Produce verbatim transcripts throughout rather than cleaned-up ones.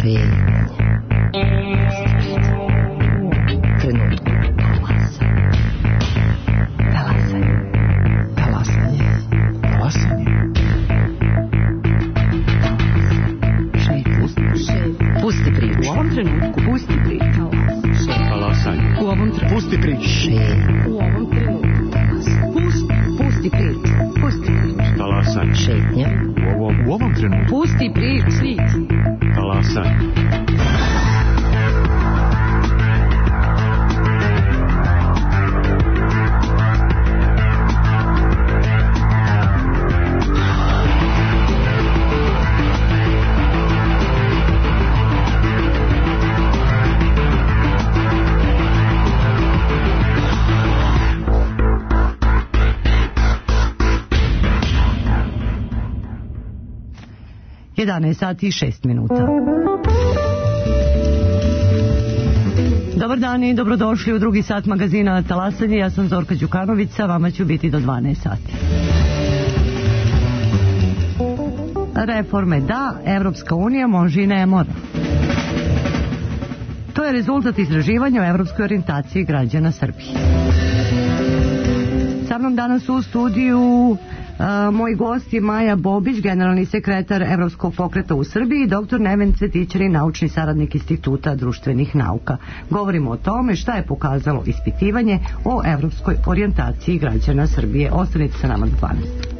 Šetnja. Trenutku talasanja. Talasanje. Talasanje. Talasanje. Pusti priču. U ovom trenutku pusti priču. Talasanje. U ovom trenutku Pusti priču. Šetnja. U ovom trenutku pusti, pusti priču. Pusti priču. Talasanje. Šetnja. U ovom, u ovom trenutku. Pusti priču. Talasanje. jedanaest sati i šest minuta. Dobar dan i dobrodošli u drugi sat magazina Talasanje. Ja sam Zorka Đukanović, vama ću biti do dvanaest sati. Reforme da, Evropska unija može i ne mora. To je rezultat istraživanja o evropskoj orijentaciji građana Srbije. Sa mnom danas u studiju Uh, moj gost je Maja Bobić, generalni sekretar Evropskog pokreta u Srbiji, i doktor Neven Cvetićanin, naučni saradnik Instituta društvenih nauka. Govorimo o tome šta je pokazalo ispitivanje o evropskoj orijentaciji građana Srbije. Ostanite sa nama do dvanaest.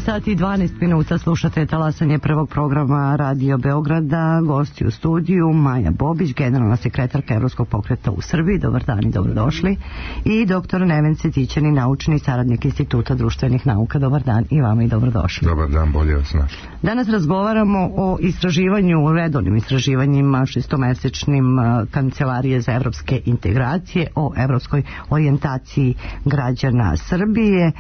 sati i dvanaest minuta, slušate talasanje prvog programa Radio Beograda. Gosti u studiju Maja Bobić, generalna sekretarka Evropskog pokreta u Srbiji. Dobar dan i dobrodošli. I doktor Neven Cvetićanin, naučni saradnik Instituta društvenih nauka. Dobar dan i vama i dobrodošli. Dobar dan, bolje vas našli. Danas razgovaramo o istraživanju, redovnim istraživanjima šestomesečnim Kancelarije za evropske integracije, o evropskoj orijentaciji građana Srbije.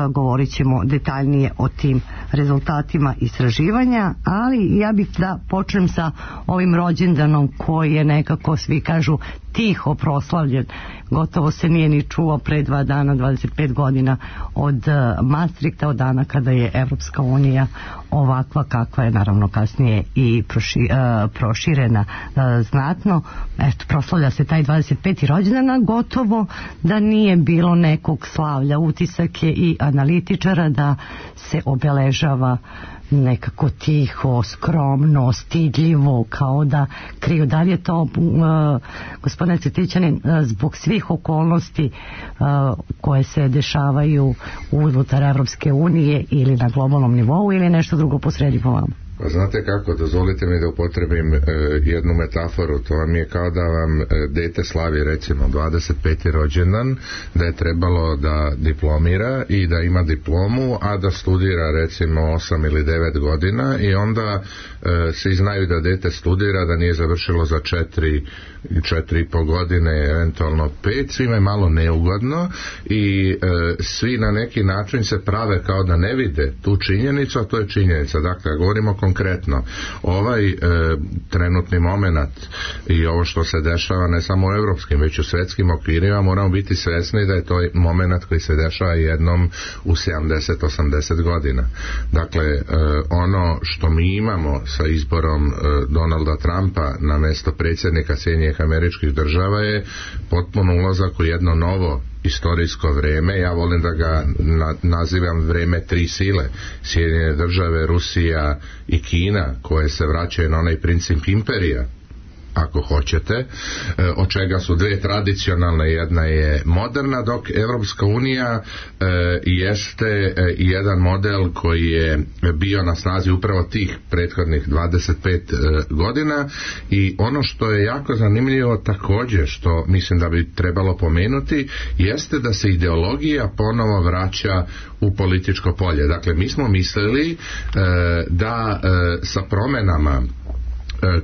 Govorit ćemo detaljnije o tim rezultatima istraživanja, ali ja bih da počnem sa ovim rođendanom koji je nekako, svi kažu, tiho proslavljen. Gotovo se nije ni čuo pre dva dana, dvadeset pet godina od Maastrichta, od dana kada je Evropska unija ovakva kakva je, naravno kasnije i proši, uh, proširena uh, znatno. Eto, proslavlja se taj dvadeset peti rođendana, gotovo da nije bilo nekog slavlja. Utisak je i analitičara da se obeležava nekako tiho, skromno, stidljivo, kao da kriju. Da li je to, uh, gospodine Cvetićanin, uh, zbog svih okolnosti uh, koje se dešavaju unutar Evropske unije ili na globalnom nivou, ili nešto drugo posredi po vama? Pa znate kako, dozvolite mi da upotrebim e, jednu metaforu. To vam je kao da vam e, dete slavi recimo dvadeset peti rođendan, da je trebalo da diplomira i da ima diplomu, a da studira recimo osam ili devet godina i onda e, svi znaju da dete studira, da nije završilo za četiri četiri i po godine, eventualno pet, svima je malo neugodno i e, svi na neki način se prave kao da ne vide tu činjenicu, a to je činjenica. Dakle, govorimo konkretno, ovaj e, trenutni moment i ovo što se dešava ne samo u evropskim, već u svetskim okvirima, moramo biti svesni da je to moment koji se dešava jednom u sedamdeset osamdeset godina. Dakle, e, ono što mi imamo sa izborom e, Donalda Trumpa na mesto predsjednika Sjedinjenih Američkih Država je potpuno ulazak u jedno novo istorijsko vreme. Ja volim da ga na, nazivam vreme tri sile: Sjedinjene Države, Rusija i Kina, koje se vraćaju na onaj princip imperija, ako hoćete, e, od čega su dve tradicionalne, jedna je moderna, dok Evropska unija e, jeste e, jedan model koji je bio na snazi upravo tih prethodnih dvadeset pet e, godina. I ono što je jako zanimljivo također, što mislim da bi trebalo pomenuti, jeste da se ideologija ponovo vraća u političko polje. Dakle, mi smo mislili e, da e, sa promenama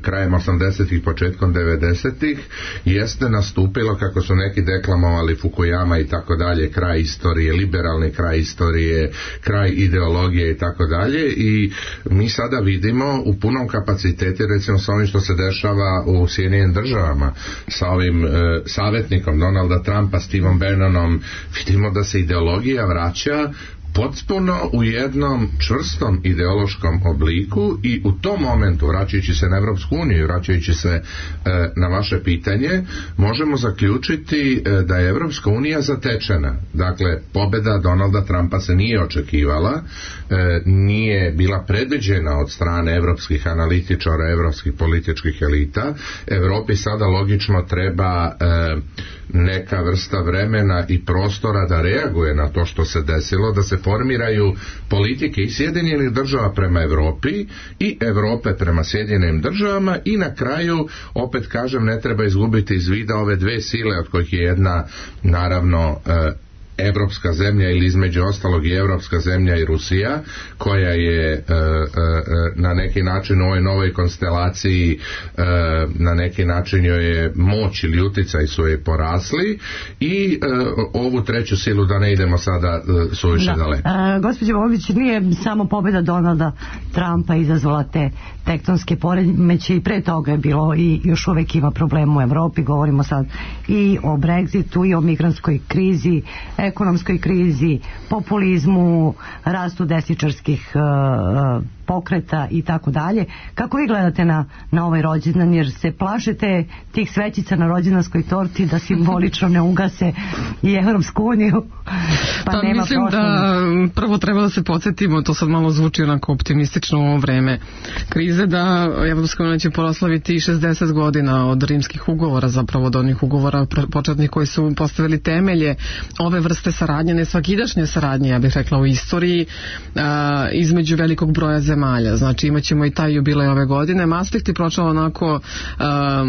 krajem osamdesetih, početkom devedesetih jeste nastupilo, kako su neki deklamovali, Fukuyama i tako dalje, kraj istorije, liberalni kraj istorije, kraj ideologije i tako dalje. I mi sada vidimo u punom kapacitetu, recimo sa ovim što se dešava u Sjedinjenim Državama, sa ovim e, savjetnikom Donalda Trumpa, Steveom Bannonom, vidimo da se ideologija vraća potpuno u jednom čvrstom ideološkom obliku. I u tom momentu, vraćajući se na Evropsku uniju, vraćajući se e, na vaše pitanje, možemo zaključiti e, da je Evropska unija zatečena. Dakle, pobjeda Donalda Trumpa se nije očekivala, e, nije bila predviđena od strane evropskih analitičara, evropskih političkih elita. Evropi sada logično treba e, neka vrsta vremena i prostora da reaguje na to što se desilo, da se formiraju politike i Sjedinjenih Država prema Evropi i Evrope prema Sjedinjenim Državama. I na kraju, opet kažem, ne treba izgubiti iz vida ove dve sile, od kojih je jedna naravno e, evropska zemlja, ili između ostalog i evropska zemlja i Rusija, koja je e, e, na neki način u ovoj novoj konstelaciji e, na neki način joj je moć ili uticaj su je porasli. I e, ovu treću silu, da ne idemo sada e, suviše da. daleko. E, gospođo Bobić, nije samo pobjeda Donalda Trumpa izazvala te tektonske poremeće, i pre toga je bilo i još uvek ima problem u Evropi. Govorimo sad i o Brexitu, i o migrantskoj krizi, ekonomskoj krizi, populizmu, rastu desničarskih uh, pokreta i tako dalje. Kako vi gledate na, na ovaj rođendan, jer se plašite tih svećica na rođendanskoj torti da simbolično ne ugase i Evropsku uniju, pa, pa nema mislim prošlosti. Da prvo treba da se podsjetimo, to sad malo zvuči onako optimistično u ovo vreme krize, da Evropska unija će proslaviti šezdeset godina od rimskih ugovora, zapravo od onih ugovora početnih koji su postavili temelje ove vrste saradnje, ne svakidašnje saradnje, ja bih rekla, u istoriji a, između velikog broja zemalja. Znači imat ćemo i taj jubilej ove godine. Maastricht je prošao onako a,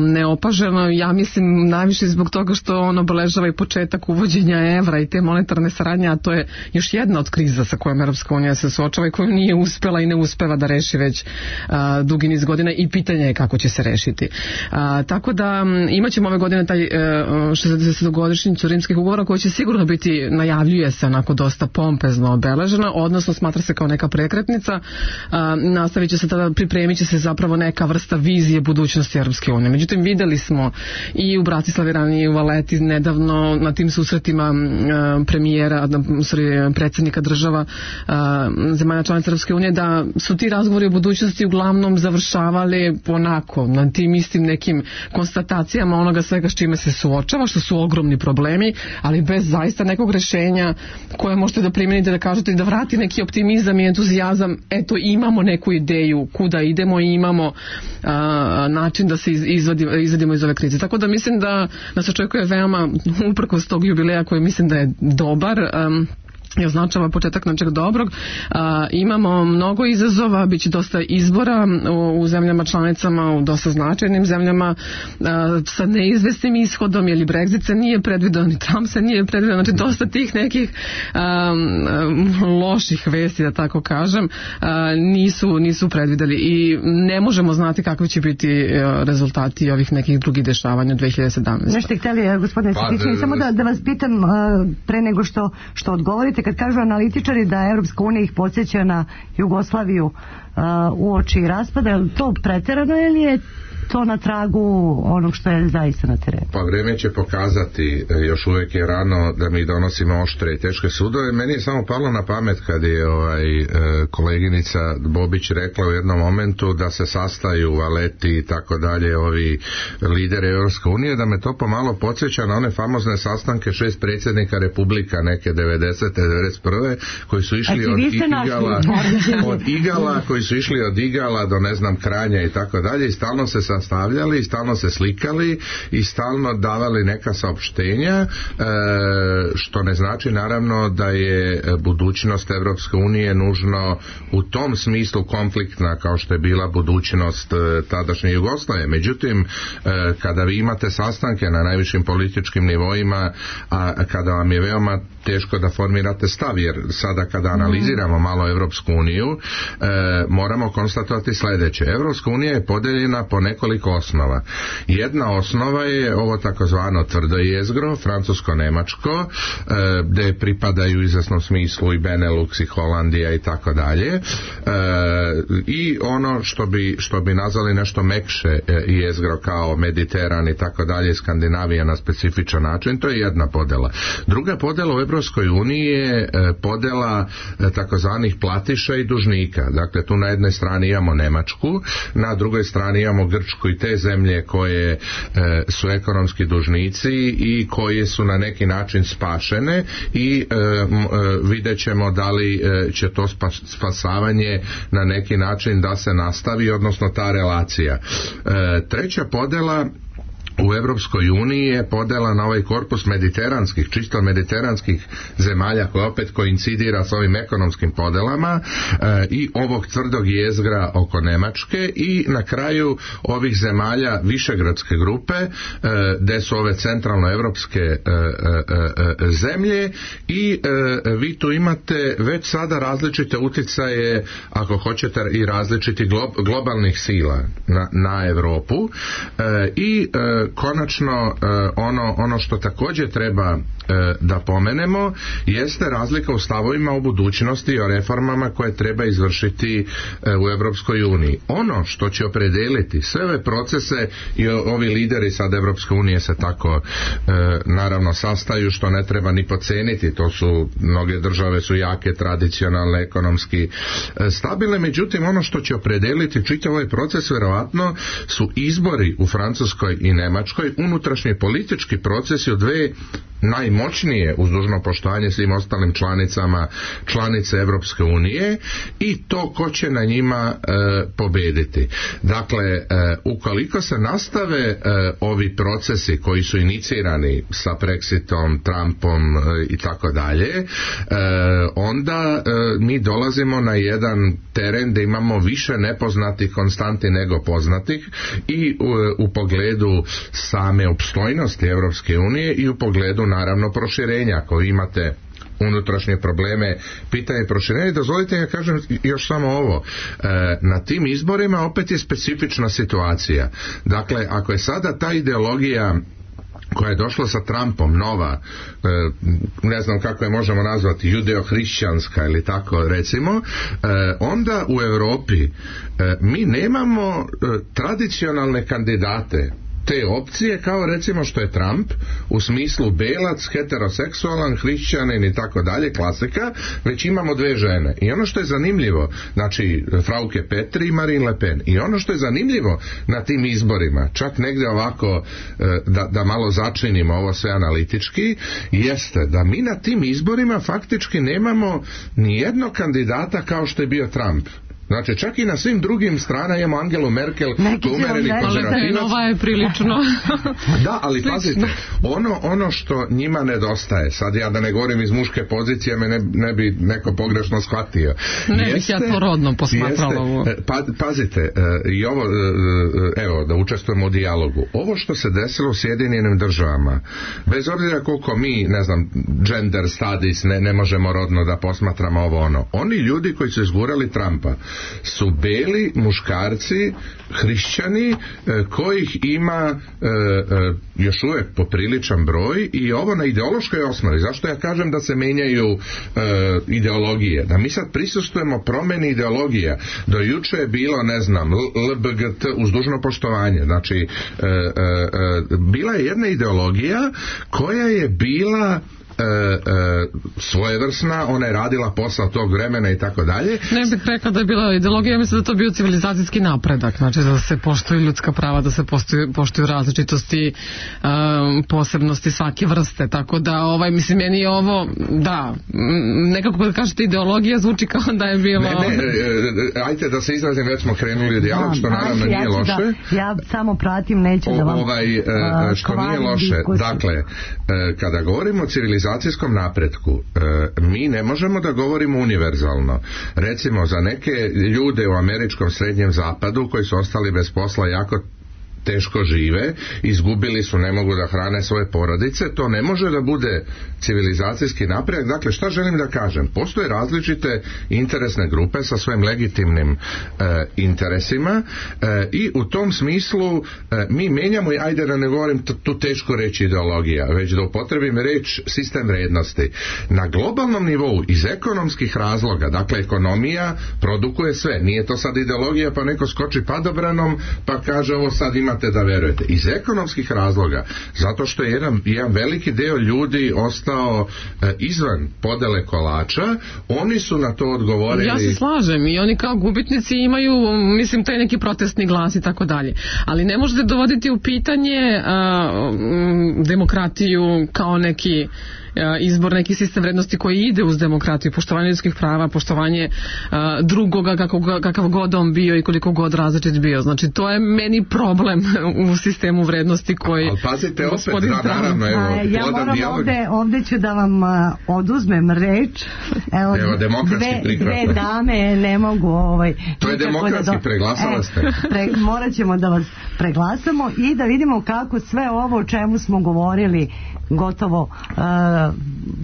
neopaženo, ja mislim najviše zbog toga što on obeležava i početak uvođenja evra i te monetarne saradnje, a to je još jedna od kriza sa kojom Evropska unija se suočava i koju nije uspela i ne uspeva da reši već a, dugi niz godina i pitanje je kako će se rešiti. A, tako da imat ćemo ove godine taj šezdesetogodišnjicu rimskih ugovora koja će sigurno biti, najavljuje se onako dosta pompezno obeležena, odnosno smatra se kao neka prekretnica. A, nastavit će se tada, pripremit će se zapravo neka vrsta vizije budućnosti Evropske unije. Međutim, videli smo i u Bratislavi ranije i u Valeti nedavno na tim susretima a, premijera, sorry, predsjednika država a, zemalja članica Evropske unije, da su ti razgovori o budućnosti uglavnom završavali onako, na tim istim nekim konstatacijama onoga svega s čime se suočava, što su ogromni problemi, ali bez zaista nekog rešenja koje možete da primenite, da kažete da vrati neki optimizam i entuzijazam, eto imamo neku ideju kuda idemo i imamo a, način da se izvadi, izvadimo iz ove krize. Tako da mislim da nas očekuje veoma, uprkos tog jubileja koji mislim da je dobar, um, i označava početak nečeg dobrog. A, imamo mnogo izazova, bit će dosta izbora u, u zemljama članicama, u dosta značajnim zemljama a, sa neizvesnim ishodom, jer i Brexit se nije predvideo, ni Trump se nije predvideo, znači dosta tih nekih a, a, loših vesti, da tako kažem, a, nisu, nisu predvideli i ne možemo znati kakvi će biti a, rezultati ovih nekih drugih dešavanja u dve hiljade sedamnaestoj. Nešto htjeli, gospodine Srdićević, samo da, da vas pitam a, pre nego što, što odgovorite, kad kažu analitičari da Evropska unija ih podsjeća na Jugoslaviju uh, uoči raspada, je li to preterano ili je to na tragu onog što je zaista na terenu? Pa vrijeme će pokazati, još uvijek je rano da mi donosimo oštre i teške sudove. Meni je samo palo na pamet kad je ovaj, koleginica Bobić rekla u jednom momentu da se sastaju Valeti i tako dalje ovi lideri Evropske unije, da me to pomalo podsjeća na one famozne sastanke šest predsjednika republika neke devedesete devedeset prve koji su išli od Igala, od Igala koji su išli od Igala do ne znam Kranja i tako dalje i stalno se sastavljali i stalno se slikali i stalno davali neka saopštenja, e, što ne znači naravno da je budućnost Evropske unije nužno u tom smislu konfliktna kao što je bila budućnost e, tadašnje Jugoslavije. Međutim, e, kada vi imate sastanke na najvišim političkim nivoima, a kada vam je veoma teško da formirate stav, jer sada kada analiziramo malo Evropsku uniju, e, moramo konstatovati sljedeće. Evropska unija je podeljena po nekoliko osnova. Jedna osnova je ovo takozvano tvrdo jezgro, francusko-nemačko, e, gde pripadaju u izvesnom smislu i Benelux i Holandija i tako dalje. E, I ono što bi, što bi nazvali nešto mekše e, jezgro kao Mediteran i tako dalje, Skandinavija na specifičan način, to je jedna podela. Druga podela u Evropskoj uniji je e, podela e, takozvanih platiša i dužnika. Dakle, tu na jednoj strani imamo Nemačku, na drugoj strani imamo Grčku i te zemlje koje e, su ekonomski dužnici i koje su na neki način spašene i e, m, e, vidjet ćemo da li e, će to spas, spasavanje na neki način da se nastavi, odnosno ta relacija. E, treća podela u Evropskoj uniji je podela na ovaj korpus mediteranskih, čisto mediteranskih zemalja koja opet koincidira s ovim ekonomskim podelama e, i ovog tvrdog jezgra oko Nemačke i na kraju ovih zemalja višegradske grupe e, gde su ove centralnoevropske e, e, e, zemlje i e, vi tu imate već sada različite uticaje, ako hoćete, i različiti glo, globalnih sila na, na Evropu e, i e, konačno e, ono, ono što također treba e, da pomenemo jeste razlika u stavovima o budućnosti i o reformama koje treba izvršiti e, u Evropskoj uniji. Ono što će opredeliti sve ove procese i ovi lideri sad Evropske unije se tako e, naravno sastaju, što ne treba ni podceniti. To su, mnoge države su jake, tradicionalne, ekonomski e, stabilne, međutim ono što će opredeliti čitav ovaj proces vjerovatno su izbori u Francuskoj i Nemačkoj, unutrašnji politički procesi u dve najmoćnije, uz dužno poštovanje svim ostalim članicama, članice Evropske unije, i to ko će na njima e, pobediti. Dakle, e, ukoliko se nastave e, ovi procesi koji su inicirani sa Brexitom, Trumpom e, i tako dalje, e, onda e, mi dolazimo na jedan teren da imamo više nepoznatih konstanti nego poznatih i u, u pogledu same opstojnosti Evropske unije i u pogledu naravno proširenja. Ako imate unutrašnje probleme, pitanje proširenja, dozvolite ja kažem još samo ovo, e, na tim izborima opet je specifična situacija. Dakle, ako je sada ta ideologija koja je došla sa Trumpom, nova, e, ne znam kako je možemo nazvati, judeo-hrišćanska ili tako recimo, e, onda u Europi e, mi nemamo e, tradicionalne kandidate te opcije, kao recimo što je Trump, u smislu belac, heteroseksualan, hrišćanin i tako dalje, klasika, već imamo dve žene. I ono što je zanimljivo, znači Frauke Petri i Marine Le Pen, i ono što je zanimljivo na tim izborima, čak negdje ovako da, da malo začinimo ovo sve analitički, jeste da mi na tim izborima faktički nemamo ni jednog kandidata kao što je bio Trump. Znači, čak i na svim drugim stranama imamo Angelu Merkel, umereni konzervativac. Ova je prilično. Da, ali pazite, ono, ono što njima nedostaje, sad ja da ne govorim iz muške pozicije, me ne, ne bi neko pogrešno shvatio. Ne jeste, bih ja to rodno posmatrala. Pa, pazite, i ovo, evo, da učestvujemo u dijalogu. Ovo što se desilo u Sjedinjenim državama, bez obzira koliko mi, ne znam, gender studies, ne, ne možemo rodno da posmatramo ovo ono. Oni ljudi koji su izgurali Trumpa su beli muškarci, hrišćani, kojih ima e, e, još uvijek popriličan broj, i ovo na ideološkoj osnovi. Zašto ja kažem da se menjaju e, ideologije? Da mi sad prisustujemo promjeni ideologija. Do juče je bilo, ne znam, L B G T, uz dužno poštovanje. Znači, e, e, e, bila je jedna ideologija koja je bila E, e, svojevrsna, ona je radila posao tog vremena i tako dalje. Ne bih rekla da je bila ideologija, ja mislim da to bio civilizacijski napredak, znači da se poštuju ljudska prava, da se poštuju, poštuju različitosti, um, posebnosti svake vrste, tako da ovaj, mislim, meni je ovo, da, nekako kad kažete ideologija zvuči kao da je bilo... Ne, ne, e, ajte da se izrazim, već smo krenuli u dijalog, što naravno ja nije loše. Da, ja samo pratim, neću da vam... Ovaj, e, što nije loše, diskusiju. Dakle, e, kada govorimo o civilizaciji civilizacijskom napretku, e, mi ne možemo da govorimo univerzalno. Recimo, za neke ljude u američkom srednjem zapadu koji su ostali bez posla jako teško žive, izgubili su, ne mogu da hrane svoje porodice, to ne može da bude civilizacijski napredak. Dakle, šta želim da kažem? Postoje različite interesne grupe sa svojim legitimnim e, interesima e, i u tom smislu e, mi menjamo, ajde da ne govorim t- tu teško reći ideologija, već da upotrebim reč sistem vrednosti. Na globalnom nivou, iz ekonomskih razloga, dakle, ekonomija produkuje sve. Nije to sad ideologija pa neko skoči padobranom pa kaže ovo sad ima da verujete. Iz ekonomskih razloga, zato što je jedan, jedan veliki deo ljudi ostao e, izvan podele kolača, oni su na to odgovorili. Ja se slažem, i oni kao gubitnici imaju, mislim, taj neki protestni glas i tako dalje. Ali ne možete dovoditi u pitanje a, m, demokratiju kao neki izbor, neki sistem vrednosti koji ide uz demokratiju, poštovanje ljudskih prava, poštovanje a, drugoga kako, kakav god on bio i koliko god različit bio. Znači, to je meni problem u sistemu vrednosti koji... Ali pazite, opet, da, naravno, evo, a, ja moram ovde, ovde ću da vam a, oduzmem reč. Evo, evo demokratski dve, dve dame ne mogu... Ovaj, to je demokratski, da do... preglasala ste. E, pre, morat ćemo da vas preglasamo i da vidimo kako sve ovo o čemu smo govorili gotovo uh,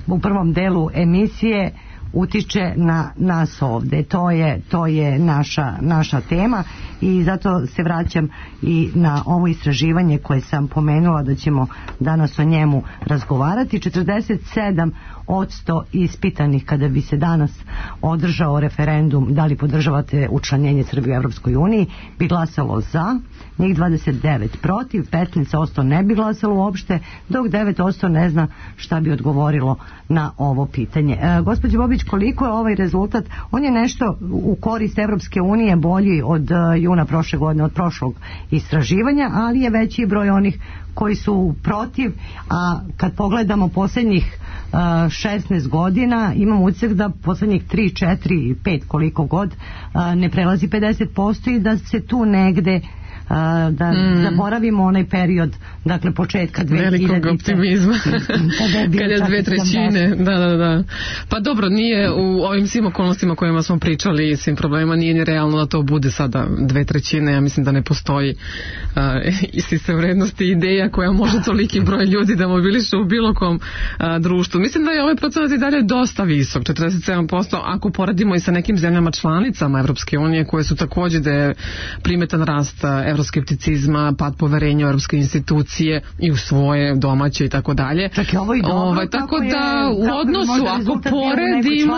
u prvom delu emisije utiče na nas ovde. To je, to je naša, naša tema i zato se vraćam i na ovo istraživanje koje sam pomenula da ćemo danas o njemu razgovarati. četrdeset sedam odsto ispitanih kada bi se danas održao referendum da li podržavate učlanjenje Srbije u Evropskoj uniji bi glasalo za, njih dvadeset devet protiv, petnaest odsto ne bi glasalo uopšte, dok devet odsto ne zna šta bi odgovorilo na ovo pitanje. E, gospođo Bobić, koliko je ovaj rezultat? On je nešto u korist Evropske unije bolji od uh, juna prošle godine, od prošlog istraživanja, ali je veći broj onih koji su protiv, a kad pogledamo posljednjih uh, šesnaest godina, imamo utisak da posljednjih tri, četiri, pet koliko god uh, ne prelazi pedeset posto i da se tu negde da mm. zaboravimo onaj period, dakle početka dve hiljadite velikog optimizma kad je dve trećine da, da, da. Pa dobro, nije u ovim svim okolnostima kojima smo pričali i svim problema, nije ni realno da to bude sada dve trećine. Ja mislim da ne postoji uh, istine vrednosti ideja koja može toliki broj ljudi da mobiliše u bilo kom uh, društvu. Mislim da je ovaj procenat i dalje dosta visok, četrdeset sedam posto, ako poradimo i sa nekim zemljama članicama Evropske unije koje su takođe da je primetan rast euroskepticizma, pad poverenja u evropske institucije i u svoje domaće i tako dalje. Čak i ovo i dobro. Ovaj, tako da u odnosu, ako poredimo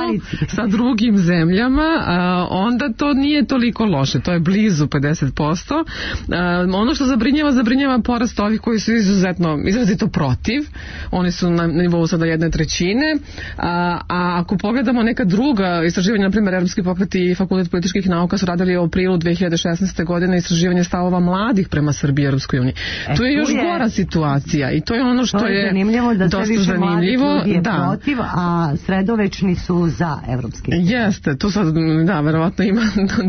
sa drugim zemljama, a, onda to nije toliko loše. To je blizu pedeset posto. A, ono što zabrinjava, zabrinjava porast ovih koji su izuzetno, izrazito protiv. Oni su na nivou sada jedne trećine. A, a ako pogledamo neka druga istraživanja, na primjer, Evropski pokret i Fakultet političkih nauka su radili u aprilu dve hiljade šesnaeste. godine istraživanje stavova mladih prema Srbiji i Europskoj uniji. E, to je još je, gora situacija i to je ono što je, je da dosta zanimljivo. Je da. protiv, a sredovečni su za evropski. Jeste, tu sad, da, verovatno ima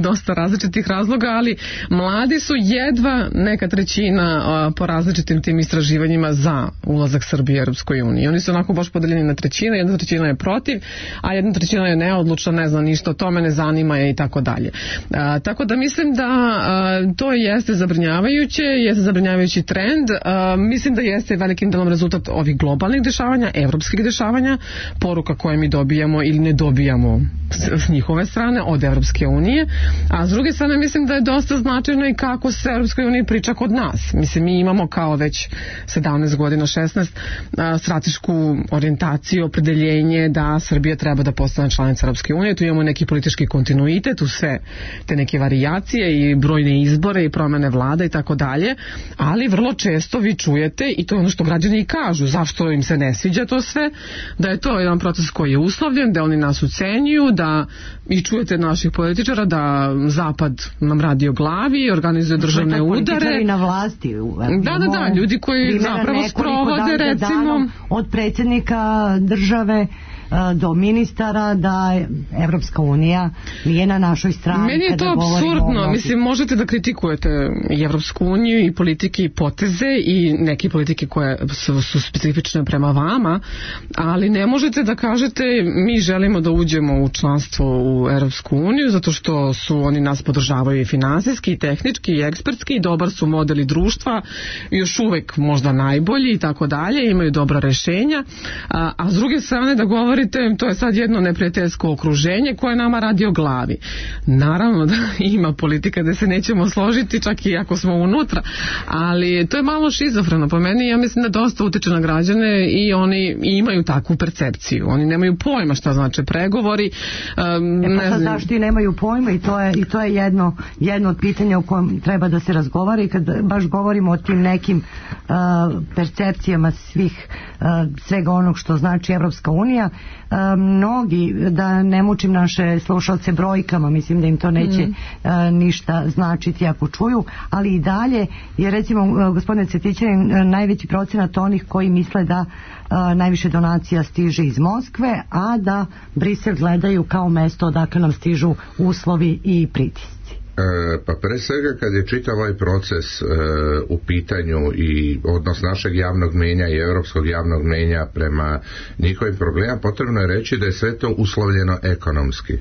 dosta različitih razloga, ali mladi su jedva neka trećina a, po različitim tim istraživanjima za ulazak Srbije i Europskoj uniji. Oni su onako baš podeljeni na trećine, jedna trećina je protiv, a jedna trećina je neodlučna, ne zna ništa o tome, ne zanima je i tako dalje. A, tako da mislim da a, to jeste zabrinjavajuće, jeste zabrinjavajući trend. A, mislim da jeste velikim delom rezultat ovih globalnih dešavanja, evropskih dešavanja, poruka koje mi dobijamo ili ne dobijamo s, s njihove strane od Evropske unije, a s druge strane mislim da je dosta značajno i kako se Evropskoj uniji priča kod nas. Mislim, mi imamo kao već sedamnaest godina, šesnaest a, stratešku orijentaciju, opredeljenje da Srbija treba da postane članica Evropske unije. Tu imamo neki politički kontinuitet, u sve te neke varijacije i brojne izbore i promene vlada i tako dalje, ali vrlo često vi čujete, i to je ono što građani i kažu, zašto im se ne sviđa to sve, da je to jedan proces koji je uslovljen, da oni nas ucenjuju, da i čujete naših političara da Zapad nam radi o glavi, organizuje državne udare. Na vlasti. Da, da, da, ljudi koji zapravo sprovode, recimo, od predsjednika države do ministara, da Evropska unija nije na našoj strani. Meni je to apsurdno. Mislim, možete da kritikujete i Evropsku uniju i politike i poteze i neke politike koje su, su specifične prema vama, ali ne možete da kažete mi želimo da uđemo u članstvo u Evropsku uniju zato što su oni nas podržavaju i finansijski, i tehnički, i ekspertski, i dobar su modeli društva, još uvek možda najbolji i tako dalje, imaju dobra rešenja, a, a s druge strane da govori to je sad jedno neprijateljsko okruženje koje nama radi o glavi. Naravno da ima politika da se nećemo složiti čak i ako smo unutra, ali to je malo šizofreno po meni. Ja mislim da dosta utiče na građane i oni imaju takvu percepciju. Oni nemaju pojma šta znače pregovori. Um, e pa sad zašto i nemaju pojma i to je, i to je jedno, jedno od pitanja o kojem treba da se razgovara i kad baš govorimo o tim nekim uh, percepcijama svih uh, svega onog što znači Evropska unija. Uh, mnogi, da ne mučim naše slušalce brojkama, mislim da im to neće mm. uh, ništa značiti ako čuju, ali i dalje je recimo uh, gospodine Cvjetićanin uh, najveći procenat onih koji misle da uh, najviše donacija stiže iz Moskve, a da Brisel gledaju kao mesto odakle nam stižu uslovi i pritisci. Pa pre svega kad je čitav ovaj proces e, u pitanju i odnos našeg javnog mnijenja i europskog javnog mnijenja prema njihovim problemima, potrebno je reći da je sve to uslovljeno ekonomski.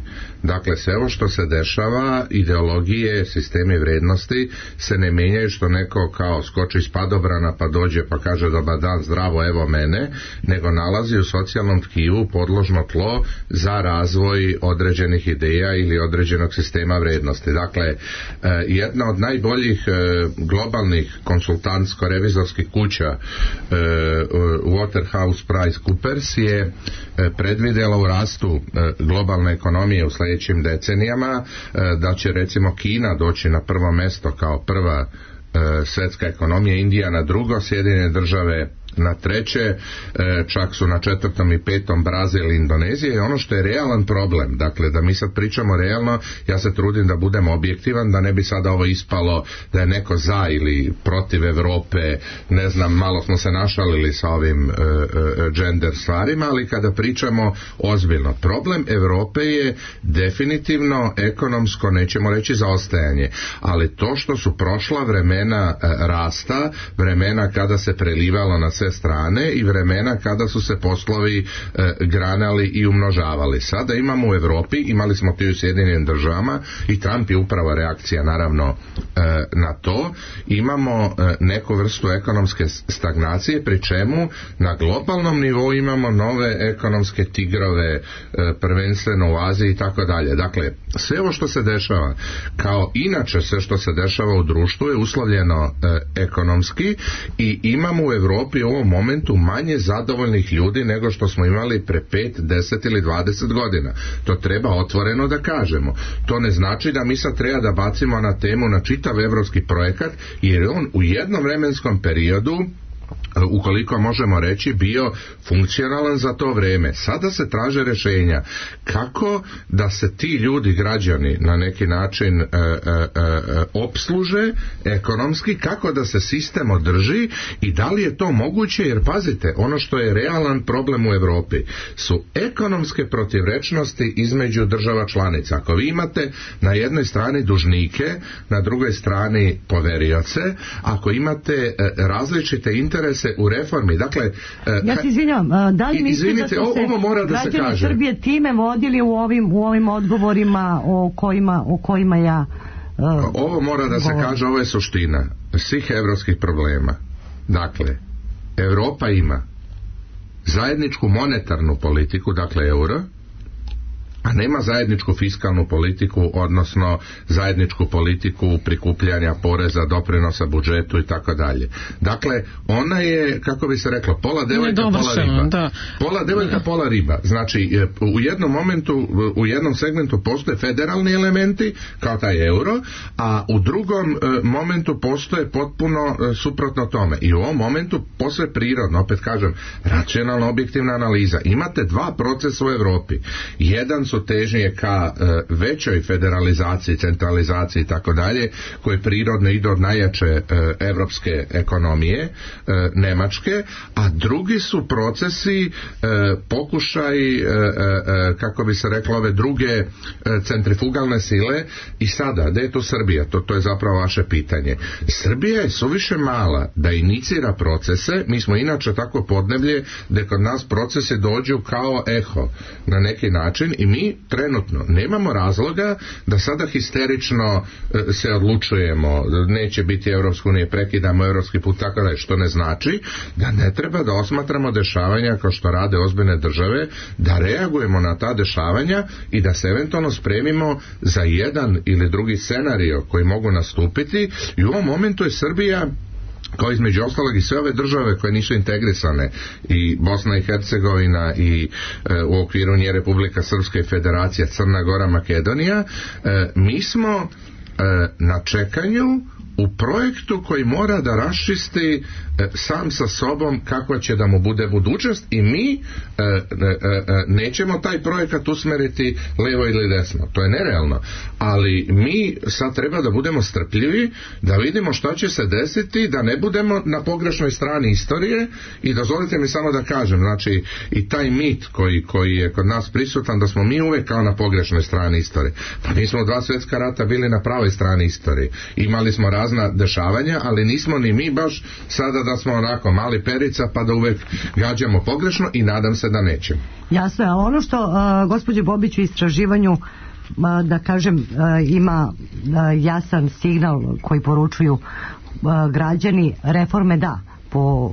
Dakle, sve ovo što se dešava, ideologije, sistemi vrednosti se ne mijenjaju što neko kao skoči iz padobrana pa dođe pa kaže dobar dan, zdravo, evo mene, nego nalazi u socijalnom tkivu podložno tlo za razvoj određenih ideja ili određenog sistema vrednosti. Dakle, jedna od najboljih globalnih konsultantsko-revizorskih kuća WaterhouseCoopers je predvidjela u rastu globalne ekonomije u sljedećim decenijama da će recimo Kina doći na prvo mjesto kao prva svjetska ekonomija, Indija na drugo, Sjedinjene države na treće, čak su na četvrtom i petom Brazil i Indonezija. I ono što je realan problem, dakle da mi sad pričamo realno, ja se trudim da budem objektivan, da ne bi sada ovo ispalo da je neko za ili protiv Europe, ne znam, malo smo se našalili sa ovim uh, uh, gender stvarima, ali kada pričamo ozbiljno, problem Europe je definitivno ekonomsko, nećemo reći zaostajanje, ali to što su prošla vremena uh, rasta, vremena kada se prelivalo na sve strane i vremena kada su se poslovi e, granali i umnožavali. Sada imamo u Europi, imali smo to i u Sjedinjenim državama i Trump je upravo reakcija naravno e, na to, imamo e, neku vrstu ekonomske stagnacije, pri čemu na globalnom nivou imamo nove ekonomske tigrove, e, prvenstveno u Aziji i tako dalje. Dakle, sve ovo što se dešava, kao inače sve što se dešava u društvu je uslovljeno e, ekonomski i imamo u Europi u ovom momentu manje zadovoljnih ljudi nego što smo imali pre pet, deset ili dvadeset godina. To treba otvoreno da kažemo. To ne znači da mi sad treba da bacimo na temu na čitav evropski projekat, jer je on u jednom vremenskom periodu, ukoliko možemo reći, bio funkcionalan za to vrijeme. Sada se traže rješenja kako da se ti ljudi, građani, na neki način e, e, e, opsluže ekonomski, kako da se sistem održi i da li je to moguće, jer pazite, ono što je realan problem u Europi su ekonomske protivrečnosti između država članica. Ako vi imate na jednoj strani dužnike, na drugoj strani poverioce, ako imate e, različite interese u reformi, dakle... Ja se izvinjavam, da li mislite da su se ovo mora da se građani kaže. Srbije time vodili u ovim, u ovim odgovorima o kojima, o kojima ja uh, ovo mora da govorim. Se kaže, ovo je suština svih evropskih problema. Dakle, Europa ima zajedničku monetarnu politiku, dakle euro, a nema zajedničku fiskalnu politiku, odnosno zajedničku politiku prikupljanja poreza, doprinosa budžetu i tako dalje. Dakle, ona je, kako bi se reklo, pola devojka, pola riba. Da. Pola devojka, pola riba. Znači, u jednom momentu, u jednom segmentu postoje federalni elementi, kao taj euro, a u drugom momentu postoje potpuno suprotno tome. I u ovom momentu posve prirodno, opet kažem, racionalna objektivna analiza. Imate dva procesa u Europi. Jedan su težnje ka e, većoj federalizaciji, centralizaciji i tako dalje, koje prirodno idu od najjače e, evropske ekonomije, e, Nemačke, a drugi su procesi, e, pokušaj, e, e, kako bi se reklo, ove druge e, centrifugalne sile. I sada, gde je to Srbija? To, to je zapravo vaše pitanje. Srbija je suviše mala da inicira procese, mi smo inače tako podneblje da kod nas procese dođu kao eho na neki način i mi trenutno nemamo razloga da sada histerično e, se odlučujemo, neće biti Evropska unija, prekidamo evropski put, tako da je, što ne znači da ne treba da osmatramo dešavanja kao što rade ozbiljne države, da reagujemo na ta dešavanja i da se eventualno spremimo za jedan ili drugi scenario koji mogu nastupiti. I u ovom momentu je Srbija, kao između ostalog i sve ove države koje nisu integrisane, i Bosna i Hercegovina i e, u okviru nje Republika Srpska i Federacija, Crna Gora, Makedonija, e, mi smo e, na čekanju u projektu koji mora da raščisti e, sam sa sobom kakva će da mu bude budućnost i mi e, e, e, nećemo taj projekat usmeriti levo ili desno, to je nerealno, ali mi sad treba da budemo strpljivi, da vidimo šta će se desiti, da ne budemo na pogrešnoj strani istorije. I dozvolite mi samo da kažem, znači i taj mit koji, koji je kod nas prisutan, da smo mi uvek kao na pogrešnoj strani istorije. Pa mi smo u dva svjetska rata bili na pravoj pravoj strani istorije. Imali smo razna dešavanja, ali nismo ni mi baš sada da smo onako mali perica pa da uvek gađamo pogrešno i nadam se da nećemo. Jasno je, ali ono što uh, gospođe Bobić u istraživanju uh, da kažem uh, ima uh, jasan signal koji poručuju uh, građani, reforme da, po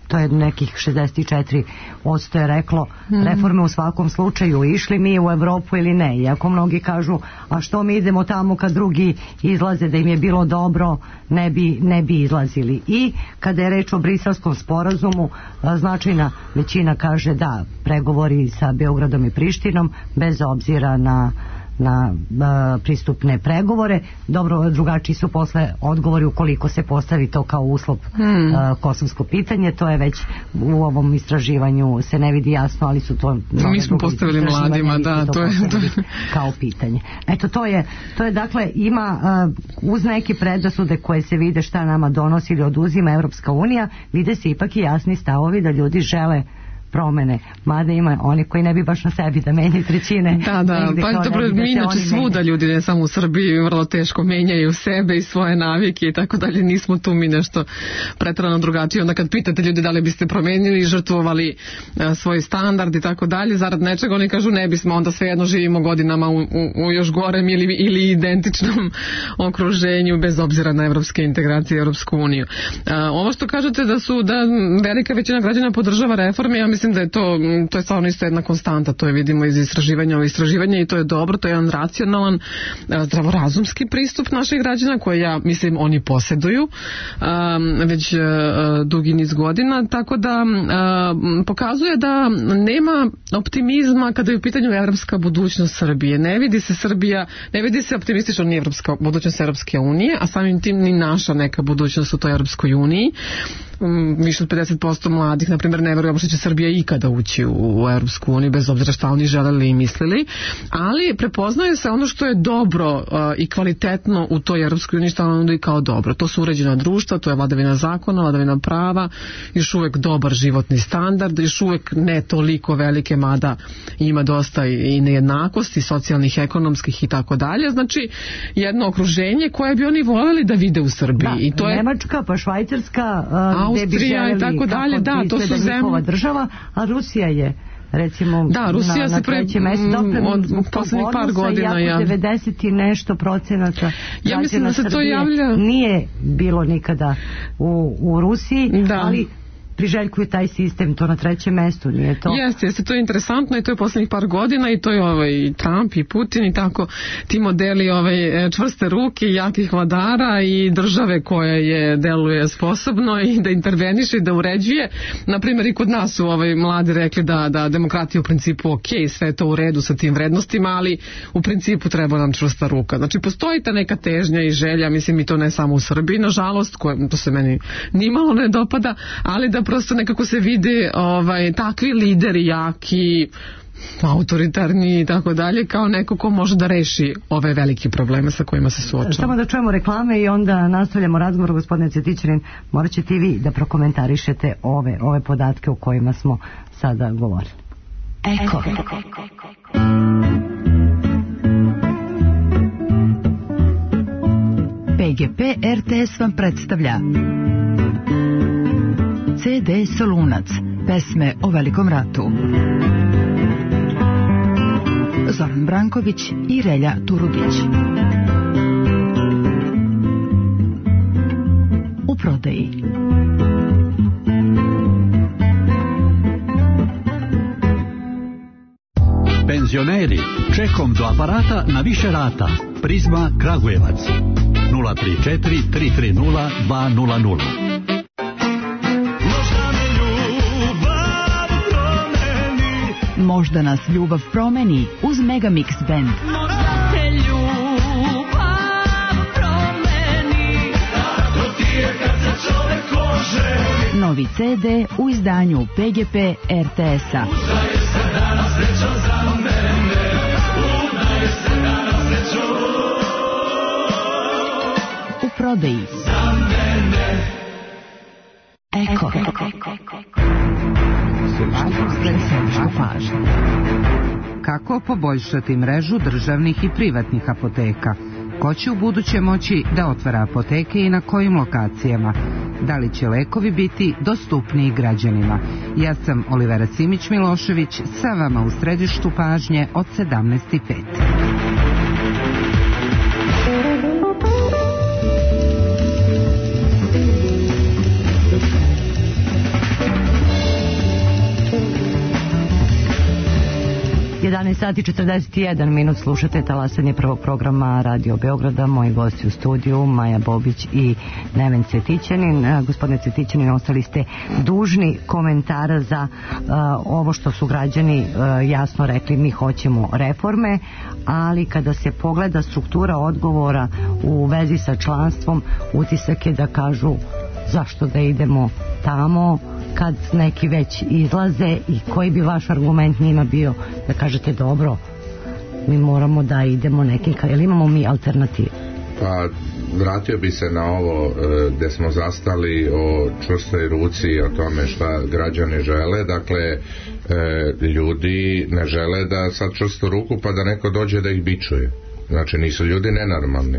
to je nekih šezdeset četiri posto je reklo mm. reforme u svakom slučaju, išli mi u Evropu ili ne, iako mnogi kažu a što mi idemo tamo kad drugi izlaze, da im je bilo dobro ne bi, ne bi izlazili. I kada je reč o Briselskom sporazumu, značajna većina kaže da, pregovori sa Beogradom i Prištinom bez obzira na na a, pristupne pregovore. Dobro, drugačiji su posle odgovori ukoliko se postavi to kao uslov hmm. a, kosovsko pitanje, to je već u ovom istraživanju se ne vidi jasno, ali su to mi smo postavili mladima, da, to, to je to kao pitanje. Eto, to je, to je dakle ima a, uz neke predrasude koje se vide šta nama donosi ili oduzima Evropska unija, vide se ipak i jasni stavovi da ljudi žele promene, mada ima oni koji ne bi baš na sebi da menjaju trećine. Da, da, pa dobro, mi inače svuda ljudi, ne samo u Srbiji, vrlo teško menjaju sebe i svoje navike i tako dalje, nismo tu mi nešto pretrano drugačije. Onda kad pitate ljudi da li biste promenili, žrtvovali a, svoj standard i tako dalje, zarad nečega, oni kažu ne bismo, onda svejedno živimo godinama u, u, u još gorem ili, ili identičnom okruženju, bez obzira na evropske integracije i Evropsku uniju. A, ovo što kažete da su, da velika većina građana podržava reforme, ja mislim Mislim da je to, to je stvarno isto jedna konstanta, to je vidimo iz istraživanja o istraživanja i to je dobro, to je jedan racionalan, zdravorazumski pristup naših građana koje ja mislim oni posjeduju um, već uh, dugi niz godina, tako da uh, pokazuje da nema optimizma kada je u pitanju evropska budućnost Srbije. Ne vidi se Srbija, ne vidi se optimistično ni evropska budućnost Evropske unije, a samim tim ni naša neka budućnost u toj Evropskoj uniji. Više od pedeset posto mladih, na primjer, ne veruje uopšte će Srbija ikada ući u, u Europsku uniju, bez obzira šta oni želeli i mislili, ali prepoznaje se ono što je dobro uh, i kvalitetno u toj Europskoj uniji, što ono i kao dobro. To su uređena društva, to je vladavina zakona, vladavina prava, još uvek dobar životni standard, još uvek ne toliko velike, mada ima dosta i nejednakosti, socijalnih, ekonomskih i tako dalje. Znači, jedno okruženje koje bi oni voljeli da vide u Srbiji. Da, i to je Nemačka, pa Švajcarska, uh, Austrija i tako dalje, da, to su zemlje država, a Rusija je recimo da, Rusija na, se pre, na od poslednjih par godina ja. devedeset i nešto procenata ja mislim da se to javlja nije bilo nikada u, u Rusiji, da. Ali priželjkuju taj sistem, to na trećem mestu, nije to? Jeste, jeste, to je interesantno i to je poslednjih par godina i to je ovaj Trump i Putin i tako ti modeli ovaj, čvrste ruke, jakih vladara i države koja je deluje sposobno i da interveniše i da uređuje. Naprimjer, i kod nas su ovaj, mladi rekli da, da demokratija u principu ok, sve je to u redu sa tim vrednostima, ali u principu treba nam čvrsta ruka. Znači, postoji ta neka težnja i želja, mislim i to ne samo u Srbiji, nažalost, koje, to se meni nimalo ne dopada, ali da prosto nekako se vide ovaj, takvi lideri jaki, autoritarni i tako dalje, kao neko ko može da reši ove velike probleme sa kojima se suočava. Samo da čujemo reklame i onda nastavljamo razgovor. Gospodine Cvetićanin, morat ćete i vi da prokomentarišete ove, ove podatke o kojima smo sada govorili. Eko. P G P R T S vam predstavlja C D Solunac, pesme o Velikom ratu. Zoran Branković i Relja Turudić. U prodaji. Penzioneri, čekom do aparata na više rata. Prizma Kragujevac. nula tri četiri tri tri nula dva nula nula. Možda nas ljubav promeni uz Megamix Band. Možda te ljubav promeni, kako ti je kad se čovek oženi. Novi C D u izdanju P G P R T S-a. Udaje se danas srećan za mene, udaje se danas srećan u prodaji. Za mene. Eko. Kako poboljšati mrežu državnih i privatnih apoteka? Ko će u buduće moći da otvara apoteke i na kojim lokacijama? Da li će lekovi biti dostupniji građanima? Ja sam Olivera Simić-Milošević, sa vama u središtu pažnje od sedamnaest i pet. jedanaest sati četrdeset jedan minut, slušate talasanje prvog programa Radio Beograda. Moji gosti u studiju Maja Bobić i Neven Cvetićanin. Gospodine Cvetićanin, ostali ste dužni komentara za uh, ovo što su građani uh, jasno rekli, mi hoćemo reforme, ali kada se pogleda struktura odgovora u vezi sa članstvom, utisak je da kažu zašto da idemo tamo kad neki već izlaze, i koji bi vaš argument njima bio da kažete dobro, mi moramo da idemo nekim, ili imamo mi alternativu? Pa vratio bi se na ovo e, gde smo zastali o čvrstoj ruci, o tome šta građani žele. Dakle, e, ljudi ne žele da sad čvrstu ruku pa da neko dođe da ih bičuje. Znači, nisu ljudi nenormalni.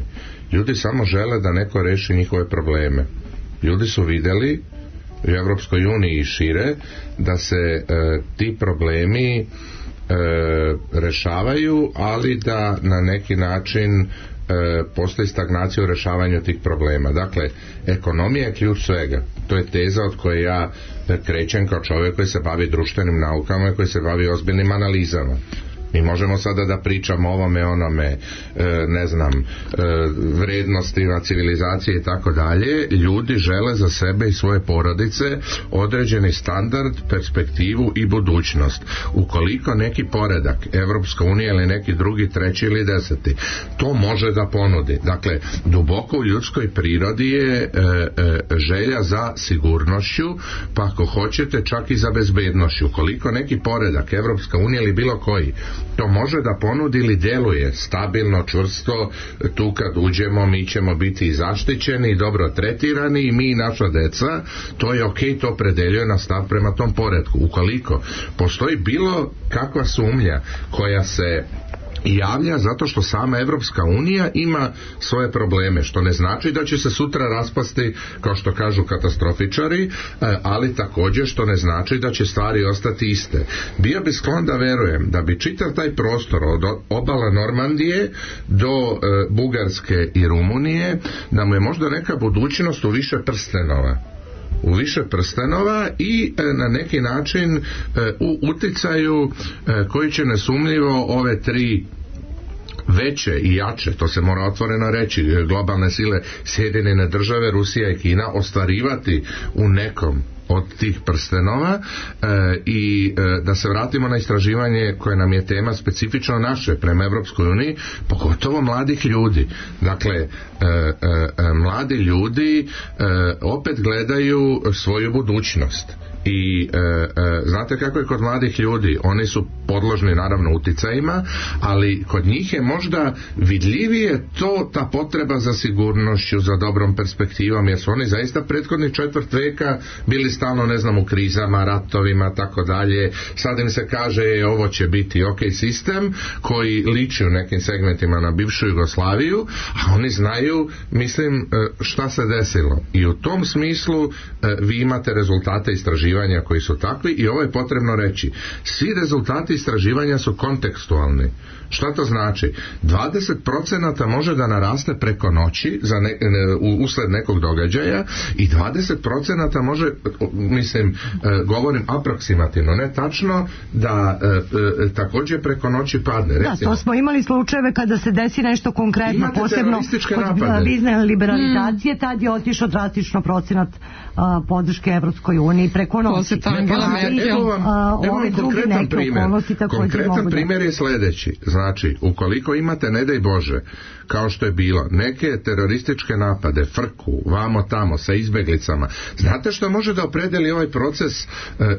Ljudi samo žele da neko reši njihove probleme. Ljudi su videli u Evropskoj uniji i šire da se e, ti problemi e, rešavaju, ali da na neki način e, postoji stagnacija u rešavanju tih problema. Dakle, ekonomija je ključ svega. To je teza od koje ja krećem kao čovjek koji se bavi društvenim naukama i koji se bavi ozbiljnim analizama. Mi možemo sada da pričamo o ovome, onome, e, ne znam, e, vrednostima civilizacije i tako dalje. Ljudi žele za sebe i svoje porodice određeni standard, perspektivu i budućnost. Ukoliko neki poredak, Evropska unija ili neki drugi, treći ili deseti, to može da ponudi. Dakle, duboko u ljudskoj prirodi je e, e, želja za sigurnošću, pa ako hoćete čak i za bezbednošću. Ukoliko neki poredak, Evropska unija ili bilo koji, to može da ponudi ili djeluje stabilno, čvrsto, tu kad uđemo mi ćemo biti zaštićeni i dobro tretirani i mi i naša deca, to je okej, to opredeljuje na stav prema tom poretku. Ukoliko postoji bilo kakva sumnja koja se javlja zato što sama Evropska unija ima svoje probleme, što ne znači da će se sutra raspasti, kao što kažu katastrofičari, ali također što ne znači da će stvari ostati iste. Bio bi sklon da verujem da bi čitav taj prostor od obala Normandije do e, Bugarske i Rumunije, da mu je možda neka budućnost u više prstenova u više prstenova i e, na neki način e, u uticaju e, koji će nesumnjivo ove tri veće i jače, to se mora otvoreno reći, globalne sile, Sjedinjene države, Rusija i Kina, ostvarivati u nekom od tih prstenova e, i e, da se vratimo na istraživanje koje nam je tema specifično naše prema Evropskoj uniji, pogotovo mladih ljudi. Dakle, e, e, mladi ljudi e, opet gledaju svoju budućnost. I e, e, znate kako je kod mladih ljudi, oni su podložni naravno uticajima, ali kod njih je možda vidljivije to, ta potreba za sigurnošću, za dobrom perspektivom, jer su oni zaista prethodni četvrt veka bili stalno, ne znam, u krizama, ratovima, tako dalje. Sad im se kaže e, ovo će biti ok sistem koji liči u nekim segmentima na bivšu Jugoslaviju, a oni znaju, mislim, šta se desilo. I u tom smislu vi imate rezultate istraživanja koji su takvi i ovo je potrebno reći. Svi rezultati istraživanja su kontekstualni. Šta to znači? dvadeset procenata može da naraste preko noći za ne, ne, usled nekog događaja i dvadeset procenata može, mislim, govorim aproksimativno, ne tačno, da e, e, također preko noći padne. Da, to smo imali slučajeve kada se desi nešto konkretno, imate posebno kod bizne liberalizacije, mm. tad je otišao drastično procenat a, podrške Evropskoj uniji preko noći. Evo vam, evo vam konkretan primjer. Konkretan primjer je sljedeći. Znači, ukoliko imate, ne daj Bože, kao što je bilo, neke terorističke napade, frku, vamo tamo, sa izbeglicama, znate što može da opredeli ovaj proces e,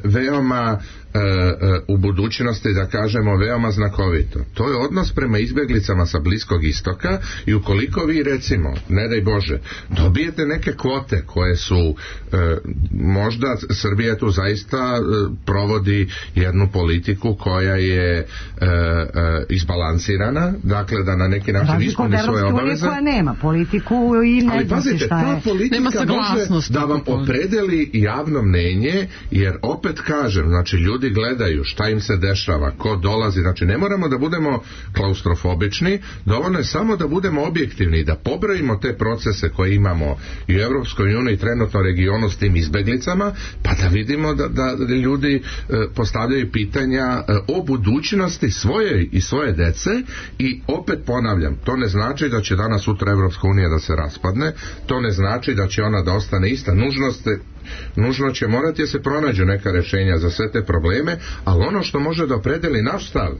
veoma e, e, u budućnosti, da kažemo, veoma znakovito. To je odnos prema izbjeglicama sa Bliskog istoka i ukoliko vi, recimo, ne daj Bože, dobijete neke kvote koje su e, možda Srbija tu zaista e, provodi jednu politiku koja je e, e, izbalansirana, dakle da na neki način ispuni svoje obaveze. Koja nema politiku i ne ali pazite, ta politika može da vam opredeli javno mnenje, jer opet kažem, znači ljudi gledaju šta im se dešava, ko dolazi, znači ne moramo da budemo klaustrofobični, dovoljno je samo da budemo objektivni i da pobrojimo te procese koje imamo i u Evropskoj uniji, trenutno regionu s tim izbeglicama, pa da vidimo da, da ljudi e, postavljaju pitanja e, o budućnosti svoje i svoje dece i opet ponavljam, to ne znači da će danas sutra Evropska unija da se raspadne, to ne znači da će ona da ostane ista, nužnost nužno će morati da se pronađu neka rješenja za sve te probleme, ali ono što može da opredeli naš stav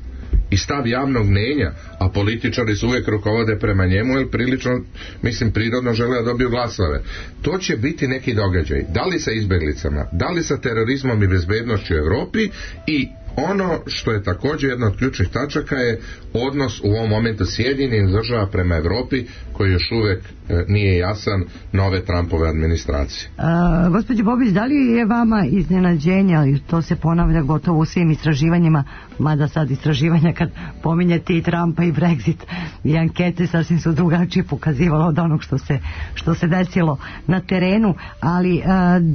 i stav javnog mnenja, a političari se uvijek rukovode prema njemu, jer prilično, mislim, prirodno žele da dobiju glasove. To će biti neki događaj. Da li sa izbjeglicama, da li sa terorizmom i bezbednošću u Evropi i ono što je također jedna od ključnih tačaka je odnos u ovom momentu Sjedinjenih država prema Evropi koji još uvijek e, nije jasan nove Trumpove administracije. Uh, gospođo Bobić, da li je vama iznenađenje, ali to se ponavlja gotovo u svim istraživanjima, mada sad istraživanja kad pominjete i Trumpa i Brexit i ankete sasvim su drugačije pokazivalo od onog što se, što se desilo na terenu, ali uh,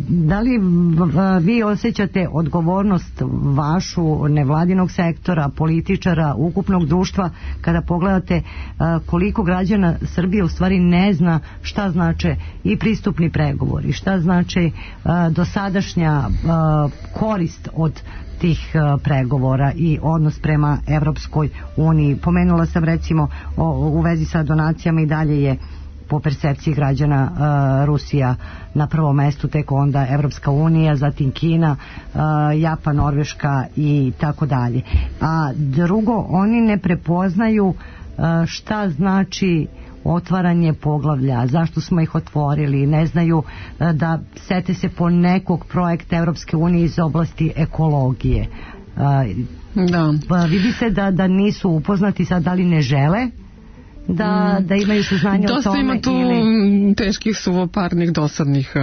da li uh, vi osjećate odgovornost vašu nevladinog sektora, političara, ukupnog društva kada pogledate uh, koliko građana Srbije u stvari ne zna šta znače i pristupni pregovori, šta znači uh, dosadašnja uh, korist od tih uh, pregovora i odnos prema Evropskoj uniji. Pomenula sam recimo o, u vezi sa donacijama i dalje je po percepciji građana uh, Rusija na prvom mestu, tek onda Evropska unija, zatim Kina, uh, Japan, Norveška i tako dalje. A drugo, oni ne prepoznaju uh, šta znači otvaranje poglavlja, zašto smo ih otvorili, ne znaju uh, da sete se po nekog projekta Evropske unije iz oblasti ekologije. Uh, da. Pa vidi se da, da nisu upoznati, sad da li ne žele da, da imaju saznanje o dosta tome. Ima tu ili... teških suvoparnih dosadnih uh,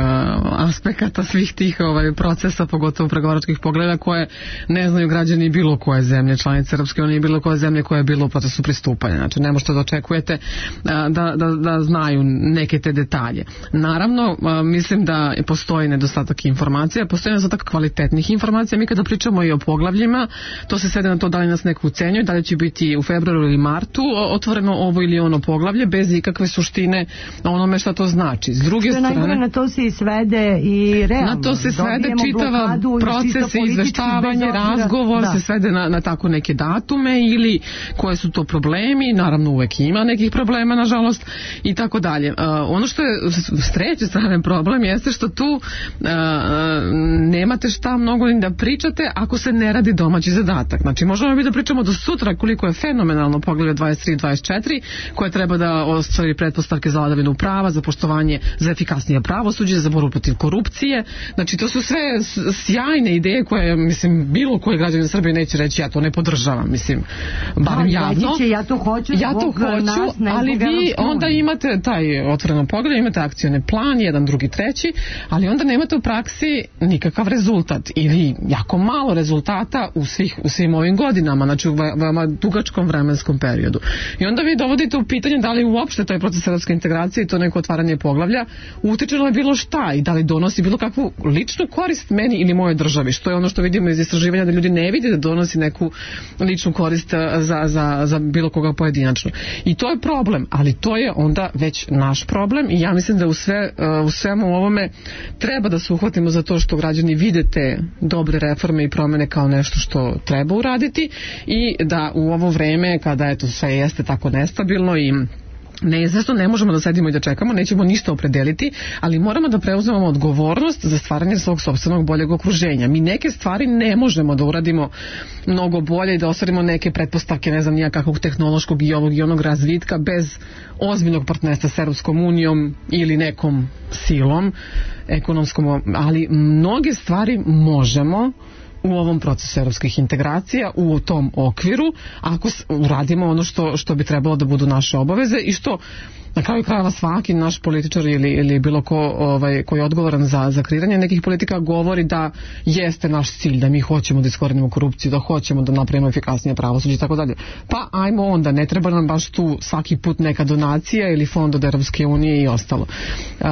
aspekata svih tih ovaj, procesa, pogotovo pregovaračkih pogleda koje ne znaju građani bilo koje zemlje članice Europske unije, bilo koje zemlje koje je bilo u procesu pristupanja. Znači ne možete da očekujete uh, da, da, da znaju neke te detalje. Naravno, uh, mislim da postoji nedostatak informacija, postoji nedostatak kvalitetnih informacija. Mi kada pričamo i o poglavljima, to se svede na to da li nas neko ucenjuje, da li će biti u februaru ili martu otvoreno ovo ili ono poglavlje bez ikakve suštine onome šta to znači. S druge što strane, najgore, na to se i svede i realno. Na to se svede čitava proces izveštavanje, razgovor da. se svede na, na tako neke datume ili koje su to problemi, naravno uvek ima nekih problema nažalost i tako dalje. Uh, ono što je s treće strane problem jeste što tu uh, nemate šta mnogo ni da pričate ako se ne radi domaći zadatak. Znači možemo mi da pričamo do sutra koliko je fenomenalno poglavlje dvadeset tri i dvadeset četiri koje treba da ostvari pretpostavke za vladavinu prava, za poštovanje, za efikasnije pravosuđe, za borbu protiv korupcije. Znači to su sve sjajne ideje koje, mislim, bilo koji građanin Srbije neće reći ja to ne podržavam, mislim, barem javno. Će, ja to hoću, ja to hoću, nas, ali vi onda imate taj otvoreno pogled, imate akcioni plan, jedan, drugi, treći, ali onda nemate u praksi nikakav rezultat ili jako malo rezultata u, svih, u svim ovim godinama, znači u veoma dugačkom vremenskom periodu. I onda vi dovodite u pitanje da li uopšte taj proces evropske integracije i to neko otvaranje poglavlja utiče na bilo šta i da li donosi bilo kakvu ličnu korist meni ili moje državi, što je ono što vidimo iz istraživanja da ljudi ne vide da donosi neku ličnu korist za, za, za bilo koga pojedinačno. I to je problem, ali to je onda već naš problem i ja mislim da u, sve, u svemu ovome treba da se uhvatimo za to što građani vide te dobre reforme i promene kao nešto što treba uraditi i da u ovo vreme kada eto sve jeste tako nestabilno i neizvesno, ne možemo da sedimo i da čekamo, nećemo ništa opredeliti, ali moramo da preuzmemo odgovornost za stvaranje svog sopstvenog boljeg okruženja. Mi neke stvari ne možemo da uradimo mnogo bolje i da ostvarimo neke pretpostavke, ne znam, nijakakvog tehnološkog i ovog i onog razvitka bez ozbiljnog partnerstva s Europskom unijom ili nekom silom ekonomskom, ali mnoge stvari možemo u ovom procesu evropskih integracija, u tom okviru, ako uradimo ono što, što bi trebalo da budu naše obaveze i što na kraju krajeva svaki naš političar ili, ili bilo ko ovaj, koji je odgovoran za, za kreiranje nekih politika govori da jeste naš cilj, da mi hoćemo da iskorenimo korupciju, da hoćemo da napravimo efikasnije pravosuđe i tako dalje. Pa ajmo onda, ne treba nam baš tu svaki put neka donacija ili fond od Europske unije i ostalo. Uh,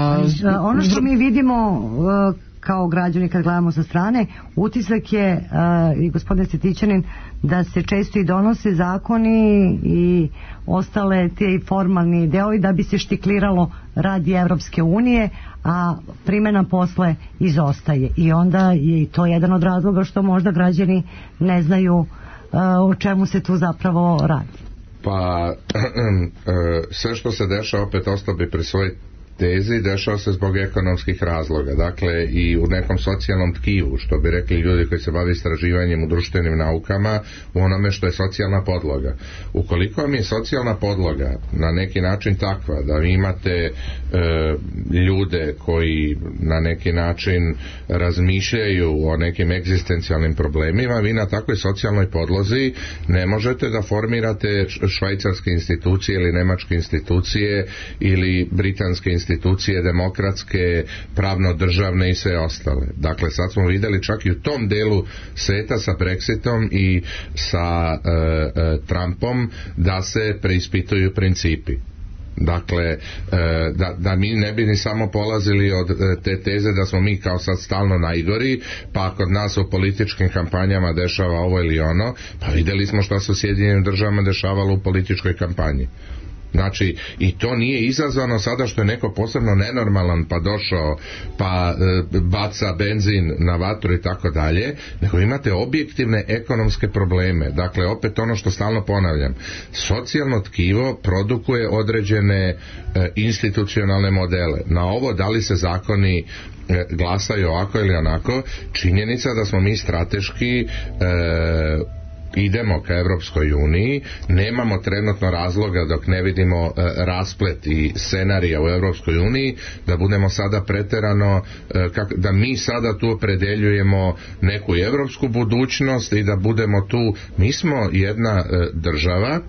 ono što mi vidimo uh, kao građani kad gledamo sa strane, utisak je uh, i gospodine Cvetićanin da se često i donose zakoni i ostale te formalni deovi da bi se štikliralo radi Evropske unije, a primjena posle izostaje. I onda je i to jedan od razloga što možda građani ne znaju uh, o čemu se tu zapravo radi. Pa sve što se dešava, opet ostao bi pri svojoj tezi, dešava se zbog ekonomskih razloga, dakle i u nekom socijalnom tkivu, što bi rekli ljudi koji se bave istraživanjem u društvenim naukama, u onome što je socijalna podloga. Ukoliko vam je socijalna podloga na neki način takva da vi imate e, ljude koji na neki način razmišljaju o nekim egzistencijalnim problemima, vi na takvoj socijalnoj podlozi ne možete da formirate švajcarske institucije ili nemačke institucije ili britanske institucije institucije demokratske, pravno-državne i sve ostale. Dakle, sad smo vidjeli čak i u tom delu sveta sa Brexitom i sa e, e, Trumpom da se preispituju principi. Dakle, e, da, da mi ne bi ni samo polazili od e, te teze da smo mi kao sad stalno najgori, pa kod nas u političkim kampanjama dešava ovo ili ono, pa vidjeli smo što se u Sjedinjenim državama dešavalo u političkoj kampanji. Znači, i to nije izazvano sada što je neko posebno nenormalan pa došao pa e, baca benzin na vatru i tako dalje, nego imate objektivne ekonomske probleme. Dakle, opet ono što stalno ponavljam, socijalno tkivo produkuje određene e, institucionalne modele. Na ovo da li se zakoni e, glasaju ovako ili onako, činjenica da smo mi strateški e, idemo ka Evropskoj uniji, nemamo trenutno razloga dok ne vidimo e, rasplet i scenarija u Evropskoj uniji da budemo sada preterano e, kak, da mi sada tu opredeljujemo neku evropsku budućnost i da budemo tu, mi smo jedna e, država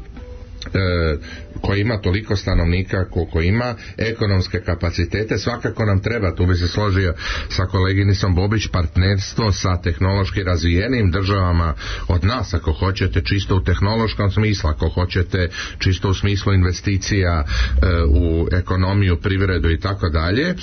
E, koja ima toliko stanovnika koliko ima, ekonomske kapacitete, svakako nam treba, tu bi se složio sa koleginicom Bobić, partnerstvo sa tehnološki razvijenim državama od nas, ako hoćete čisto u tehnološkom smislu, ako hoćete čisto u smislu investicija e, u ekonomiju, privredu i tako dalje, e,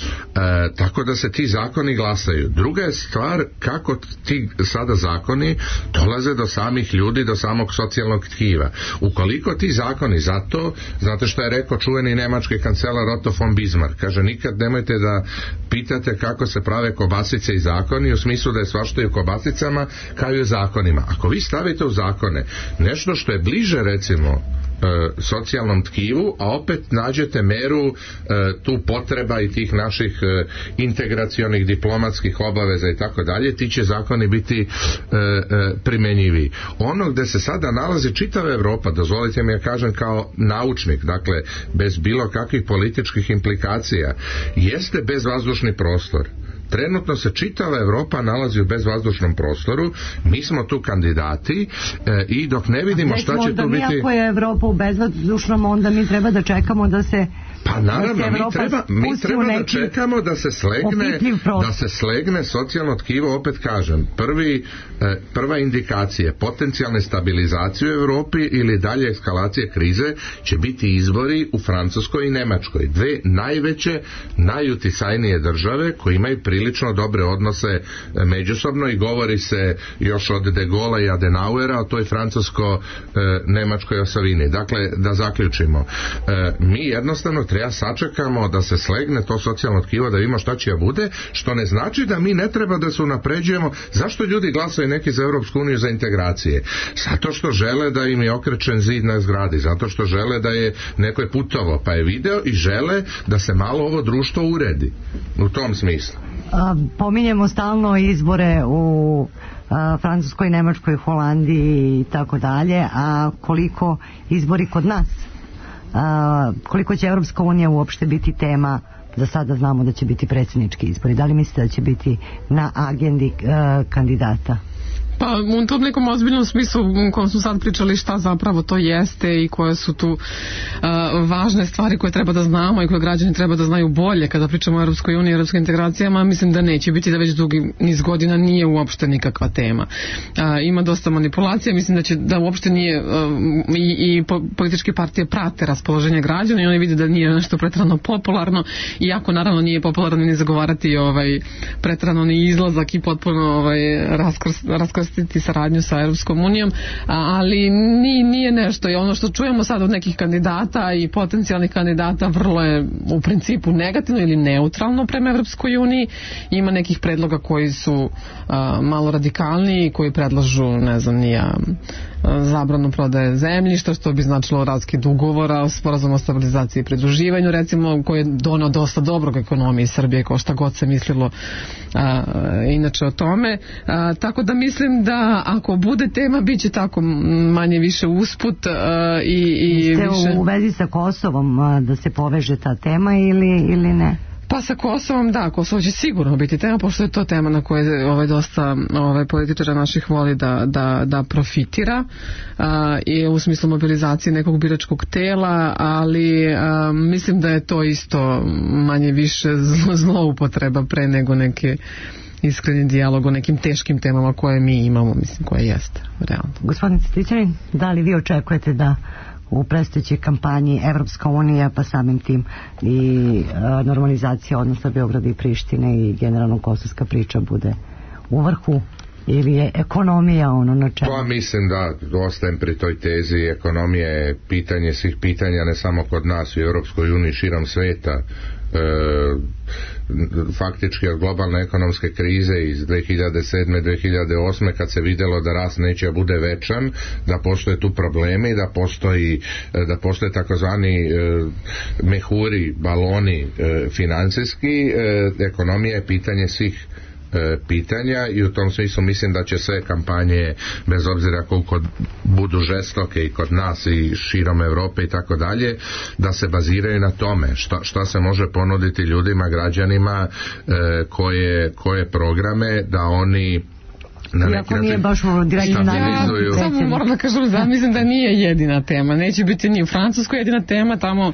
tako da se ti zakoni glasaju. Druga je stvar kako ti sada zakoni dolaze do samih ljudi, do samog socijalnog tkiva. Ukoliko ti zakoni zakoni, zato, znate što je rekao čuveni nemački kancelar Otto von Bismarck, kaže nikad nemojte da pitate kako se prave kobasice i zakoni, u smislu da je svašta i u kobasicama kao i u zakonima. Ako vi stavite u zakone nešto što je bliže recimo socijalnom tkivu, a opet nađete meru e, tu potreba i tih naših e, integracionih diplomatskih obaveza i tako dalje, ti će zakoni biti e, e, primenjivi. Ono gde se sada nalazi čitava Evropa, dozvolite mi ja kažem kao naučnik, dakle bez bilo kakvih političkih implikacija, jeste bezvazdušni prostor. Trenutno se čitava Evropa nalazi u bezvazdušnom prostoru, mi smo tu kandidati e, i dok ne vidimo šta će tu biti... Ako je Evropa u bezvazdušnom, onda mi treba da čekamo da se... Pa naravno, mi treba, mi treba da čekamo da se slegne da se slegne socijalno tkivo, opet kažem, prvi, e, prva indikacija potencijalne stabilizacije u Evropi ili dalje eskalacije krize će biti izbori u Francuskoj i Nemačkoj, dve najveće, najuticajnije države koje imaju prilično dobre odnose međusobno i govori se još od De Gaulle'a i Adenauera o toj francusko-nemačkoj osovini. Dakle, da zaključimo, e, mi jednostavno treba sačekamo da se slegne to socijalno tkivo, da vidimo šta će da bude, što ne znači da mi ne treba da se unapređujemo. Zašto ljudi glasaju neki za Europsku uniju, za integracije? Zato što žele da im je okrečen zid na zgradi, zato što žele da je neko je putovo pa je video i žele da se malo ovo društvo uredi u tom smislu. A, pominjemo stalno izbore u a, Francuskoj, Nemačkoj, Holandiji i tako dalje, a koliko izbori kod nas? A, koliko će Evropska unija uopšte biti tema? Za sada znamo da će biti predsjednički izbori. Da li mislite da će biti na agendi a, kandidata? Pa u tom nekom ozbiljnom smislu u kojem smo sad pričali šta zapravo to jeste i koje su tu uh, važne stvari koje treba da znamo i koje građani treba da znaju bolje kada pričamo o Europskoj uniji i europskim integracijama, mislim da neće biti, da već dugi niz godina nije uopšte nikakva tema. Uh, ima dosta manipulacija, mislim da će da uopšte nije uh, i, i po, političke partije prate raspoloženje građana i oni vide da nije nešto pretrano popularno, iako naravno nije popularno ni zagovarati ovaj pretrano ni izlazak i potpuno ovaj raskrst, raskrstiti saradnju sa Europskom unijom, ali ni, nije nešto i ono što čujemo sad od nekih kandidata i potencijalnih kandidata vrlo je u principu negativno ili neutralno prema Europskoj uniji. Ima nekih predloga koji su a, malo radikalniji, koji predlažu, ne znam, nija zabranu prodaje zemljišta, što bi značilo raskid ugovora, sporazum o stabilizaciji i pridruživanju, recimo, koji je doneo dosta dobrog ekonomiji Srbije, kao šta god se mislilo a, inače o tome. A, tako da mislim da ako bude tema, bit će tako manje više usput a, i, i Ste više... u vezi sa Kosovom a, da se poveže ta tema ili, ili ne? Pa sa Kosovom, da, Kosovo će sigurno biti tema, pošto je to tema na kojoj ovaj, dosta ovaj, političara naših voli da, da, da profitira a, i u smislu mobilizacije nekog biračkog tela, ali a, mislim da je to isto manje više zloupotreba pre nego neke iskreni dijalog o nekim teškim temama koje mi imamo, mislim, koje jeste realno. Gospodin Cvetićanin, da li vi očekujete da u predstojećoj kampanji Evropska unija, pa samim tim i a, normalizacija odnosa Beograda i Prištine i generalno kosovska priča bude u vrhu, ili je ekonomija ono na čemu? Pa mislim da ostajem pri toj tezi, ekonomija je pitanje svih pitanja, ne samo kod nas u Europskoj uniji, širom sveta. E, faktički od globalne ekonomske krize iz dve hiljade sedme dve hiljade osme kad se vidjelo da rast neće bude večan, da postoje tu problemi, da postoji da postoje takozvani e, mehuri, baloni e, financijski, e, ekonomija je pitanje svih pitanja i u tom smislu mislim da će sve kampanje, bez obzira koliko budu žestoke i kod nas i širom Europe i tako dalje, da se baziraju na tome šta, šta se može ponuditi ljudima, građanima, e, koje, koje programe da oni na iako nije baš u direktno navizuju. Ja samo moram da kažem da mislim da nije jedina tema. Neće biti ni u Francuskoj jedina tema. Tamo, uh,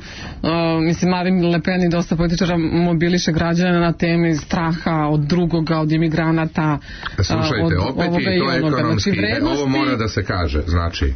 mislim, Marine Le Pen i dosta političara mobiliše građane na temi straha od drugoga, od imigranata. Slušajte, od, opet je i to ekonomski, znači, ovo mora da se kaže, znači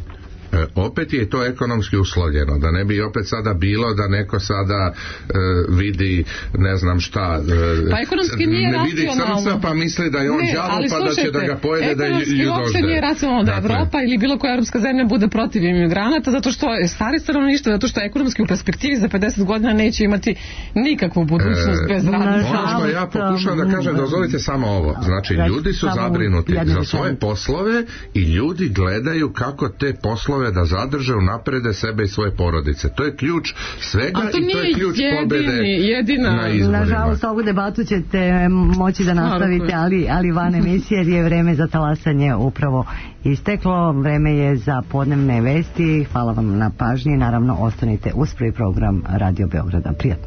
opet je to ekonomski uslovljeno, da ne bi opet sada bilo da neko sada e, vidi ne znam šta e, pa ekonomski nije ne vidi crnca pa misli da je on đavo pa da će da ga pojede da je ljudožde. Ekonomski uopšte nije racionalno da Evropa ili bilo koja europska zemlja bude protiv imigranata zato što je stari stanovništvo, zato što ekonomski u perspektivi za pedeset godina neće imati nikakvu budućnost e, bez rada. Ono što ja pokušam da kažem, dozvolite samo ovo, znači ljudi su zabrinuti za svoje poslove i ljudi gledaju kako te poslove da zadrže, unaprede sebe i svoje porodice. To je ključ svega to i to je ključ jedini, pobede jedina. na izborima. Nažalost, ovu debatu ćete moći da nastavite, ali, ali van emisije, jer je vreme za talasanje upravo isteklo. Vreme je za podnevne vesti. Hvala vam na pažnji. Naravno, ostanite uz prvi program Radio Beograda. Prijatno.